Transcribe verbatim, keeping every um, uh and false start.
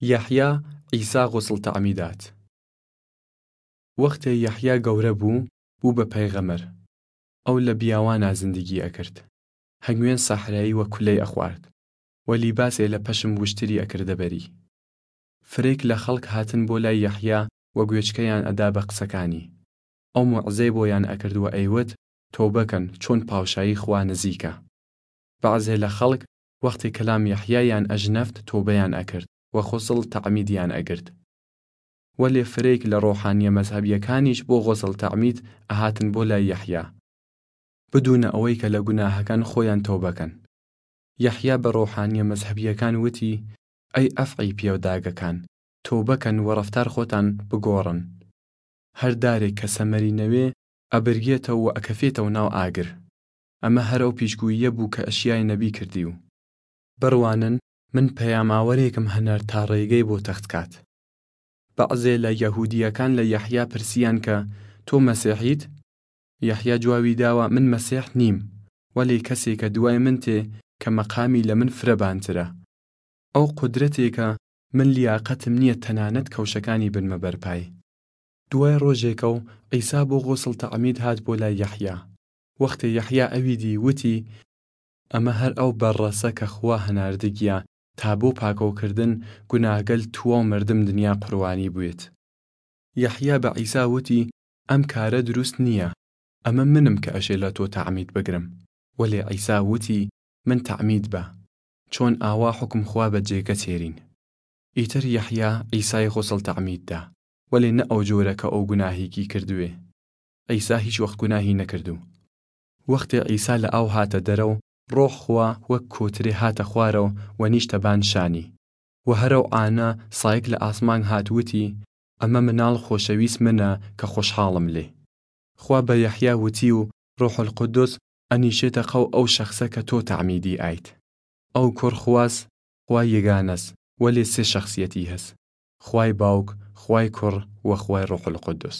یەحیا عیسا غسڵ تەعمیدات. وەختێ یەحیا گەورە بۊ، بۊ بە پەیغەمەر. ئەو لە بیاوانا زندگی ئەکرد. هەنگوێن سەحرایی و کولەی ئەخوارد، و لیباسێ لە پەشم وشتری ئەکردە بەری. فرەیگ لە خەڵک هاتن بۆ لای یەحیا و گوێچکەیان ئەدا بە قسەکانی. ئەو موعزەی بۆیان ئەکرد و ئەیوت، تۆبە کەن، چۆن پاوشایی خوا نزیکە. بەعزێ لە خەڵک وەختێ کەلام یەحیایان ئەژنەفت تۆبەیان ئەکرد و غسڵ تەعمیدیان ئەگرد. وەلێ فرەیگ لە ڕۆحانیە مەزهەبیەکانیش بۆ غسڵ تەعمید ئەهاتن بۆ لای یەحیا، بدوونە ئەوەی کە لە گوناهەکان خۆیان تۆبە کەن. یەحیا بە ڕۆحانیە مەزهەبیەکان وتی، ئەی ئەفعی پیەوداگەکان، تۆبە کەن و ڕەفتار خوەتان بگۆڕن. هەر دارێگ کە سەمەری نەوێ ئەبرگێتەو و ئەکەفێتەو ناو ئاگر. ئەمە هەر ئەو پیشگوییە بۊ کە ئەشیای نەبی کردیو. بڕوانن، من پەیاماوەرێگم هەنار تا ڕێگەی بۆ تەخت کات. بەعزێ لە یەهوودیەکان لە یەحیا پرسیان کە، تۆ مەسیحیت؟ یەحیا جواوی داوە، من مەسیح نیم، وەلێ کەسێ کە دوای من تێ کە مەقامی لە من فرە بانترە. ئەو قودرەتێ کە من لیاقەتم نییە تەنانەت کەوشەکانی بنمە بەرپای. دوای ڕۆژێکەو عیسا بۆ غسڵ تەعمید هات بۆ لای یەحیا. وەختێ یەحیا ئەوی دی، وتی، ئەمە هەر ئەو بەڕەسە کە خوا هەناردگیە تا بۆ پاکەوکردن گوناهگەل تواو مەردم دنیا قوربانی بوێت. یەحیا بە عیسا وتی، ئەم کارە دروست نییە، ئەمە منم کە ئەشێ لە تۆ تەعمید بگرم. وەلێ عیسا وتی، من تەعمید بە، چۆن ئاوا حوکم خوا بە جێگە تێرین. ئیتر یەحیا عیسای غسڵ تەعمید دا، وەلێ نە ئەو جۆرە کە ئەو گوناهیگی کردوێ. عیسا هیچ وەخت گوناهی نەکردوو. وەختێ عیسا لە ئاو هاتە دەرەو، ڕۆح خوا وەک کۆترێ هاتە خوارەو و نیشتە بان شانی. و هەرەو ئانا سایگ لە ئاسمان هات وتی، ئەمە مناڵ خۆشەویست منە کە خوەشحاڵم لێ. خوا بە یەحیا وتی و ڕوح القودس ئەنیشێتە قەو ئەو شەخسە کە تۆ تەعمیدی ئایت. ئەو کوڕ خواس، خوای یگانەس، وەلێ سێ شەخسیەتی هەس، خوای باوک، خوای کوڕ و خوای ڕوح القودس.